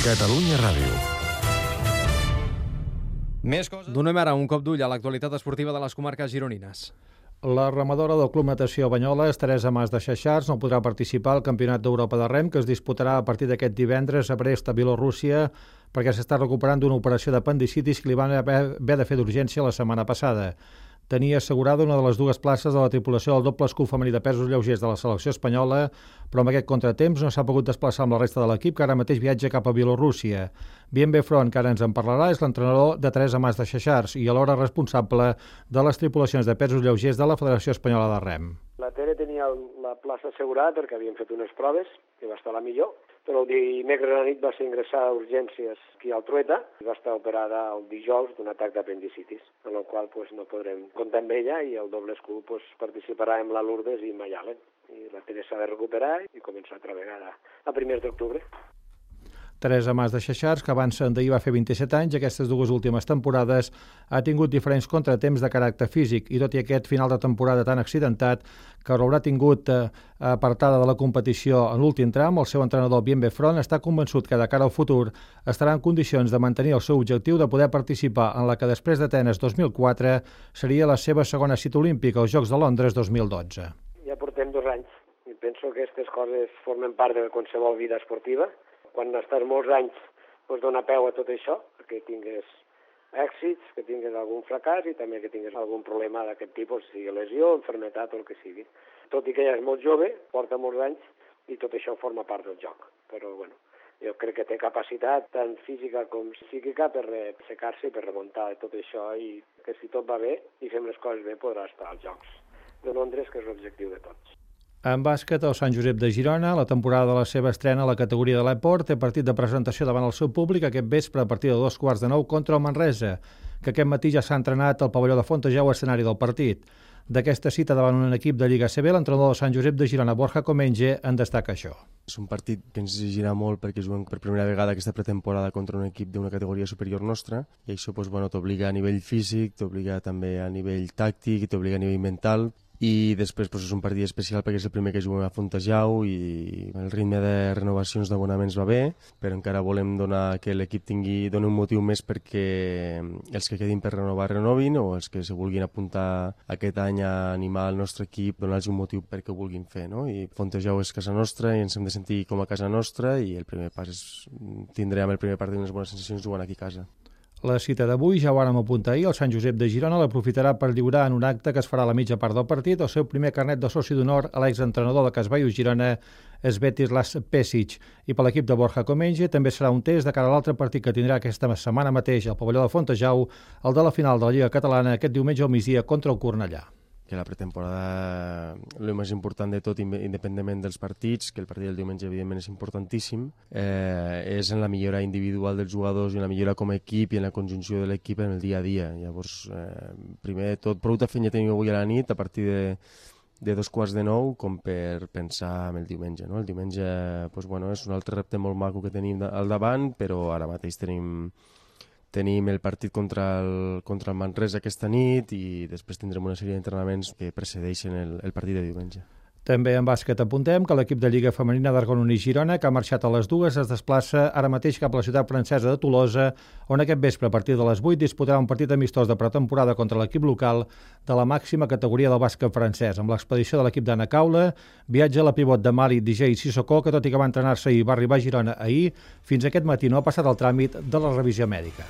Catalunya Ràdio. Més coses. Donem ara un cop d'ull a l'actualitat esportiva de les comarques gironines. La remadora del Club Natació Banyoles, Teresa Mas de Xaxars, no podrà participar al Campionat d'Europa de rem, que es disputarà a partir d'aquest divendres a Brest, a Bielorússia, perquè s'està recuperant d'una operació d'apendicitis que li van haver de fer d'urgència la setmana passada. Tenia assegurada una de les dues places de la tripulació del doble escut femení de pesos lleugers de la selecció espanyola, però amb aquest contratemps no s'ha pogut desplaçar amb la resta de l'equip, que ara mateix viatja cap a Bielorússia. Bien Front, que ara ens en parlarà, és l'entrenador de Teresa Mas de Xaxars i alhora responsable de les tripulacions de pesos lleugers de la Federació Espanyola de Rem. La Tere tenia la plaça assegurada perquè havien fet unes proves i va estar la millor, però el dimecres a la nit va ser ingressada a urgències aquí al Trueta i va estar operada el dijous d'un atac d'apendicitis, en el qual no podrem comptar amb ella i el doble escut participarà amb la Lourdes i Mayalen. I la Tere s'ha de recuperar i començar a treballar a primers d'octubre. Teresa Mas de Xaxars, que abans d'ahir va fer 27 anys, aquestes dues últimes temporades ha tingut diferents contratemps de caràcter físic i tot i aquest final de temporada tan accidentat que l'haurà tingut apartada de la competició en l'últim tram, el seu entrenador Bien Front està convençut que de cara al futur estarà en condicions de mantenir el seu objectiu de poder participar en la que després d'Atenes 2004 seria la seva segona cita olímpica als Jocs de Londres 2012. Ja portem 2 anys i penso que aquestes coses formen part de qualsevol vida esportiva. Quan estàs molts anys dona peu a tot això, que tingues èxits, que tingues algun fracàs i també que tingues algun problema d'aquest tipus, sigui lesió, enfermetat o el que sigui. Tot i que ja és molt jove, porta molts anys i tot això forma part del joc. Però jo crec que té capacitat tant física com psíquica per aixecar-se i per remuntar tot això i que si tot va bé i fem les coses bé podrà estar als Jocs de Londres, que és l'objectiu de tots. En bàsquet, el Sant Josep de Girona, la temporada de la seva estrena a la categoria de l'Eport, té partit de presentació davant el seu públic aquest vespre a partir de 2:15 contra el Manresa, que aquest matí ja s'ha entrenat al pavelló de Fontejau, escenari del partit. D'aquesta cita davant un equip de Lliga CB, l'entrenador del Sant Josep de Girona, Borja Comenge, en destaca això. És un partit que ens exigirà molt perquè juguem per primera vegada aquesta pretemporada contra un equip d'una categoria superior nostra i això t'obliga a nivell físic, t'obliga també a nivell tàctic, t'obliga a nivell mental. I després és un partit especial perquè és el primer que juguem a Fontejau i el ritme de renovacions d'abonaments va bé, però encara volem que l'equip doni un motiu més perquè els que quedin per renovar renovin o els que se vulguin apuntar aquest any a animar el nostre equip, donar-los un motiu perquè ho vulguin fer. No? I Fontejau és casa nostra i ens hem de sentir com a casa nostra i el primer pas és tindrem el primer partit unes bones sensacions jugant aquí a casa. La cita d'avui, ja ho vàrem apuntar ahir, el Sant Josep de Girona l'aprofitarà per lliurar en un acte que es farà a la mitja part del partit el seu primer carnet de soci d'honor a l'exentrenador de Casbaius Girona, Svetislas Pesic. I per l'equip de Borja Comenge també serà un test de cara a l'altre partit que tindrà aquesta setmana mateix al pavelló de Fontejau, el de la final de la Lliga Catalana aquest diumenge al migdia contra el Cornellà. Que la pretemporada, el més important de tot, independentment dels partits, que el partit del diumenge evidentment és importantíssim, és en la millora individual dels jugadors i en la millora com a equip i en la conjunció de l'equip en el dia a dia. Llavors, primer de tot, prou de feina tenim avui a la nit a partir de 8:45 com per pensar en el diumenge. No? El diumenge és un altre repte molt maco que tenim al davant, però ara mateix tenim el partit contra el Manresa aquesta nit i després tindrem una sèrie d'entrenaments que precedeixen el partit de diumenge. També en bàsquet apuntem que l'equip de Lliga Femenina d'Argonon i Girona, que ha marxat a les 2, es desplaça ara mateix cap a la ciutat francesa de Tolosa, on aquest vespre a partir de les 8 disputarà un partit amistós de pretemporada contra l'equip local de la màxima categoria del bàsquet francès. Amb l'expedició de l'equip d'Anna Caula, viatja la pivot de Mali DJ Sissoko, que tot i que va entrenar-se i va arribar a Girona ahir, fins aquest matí no ha passat el tràmit de la revisió mèdica.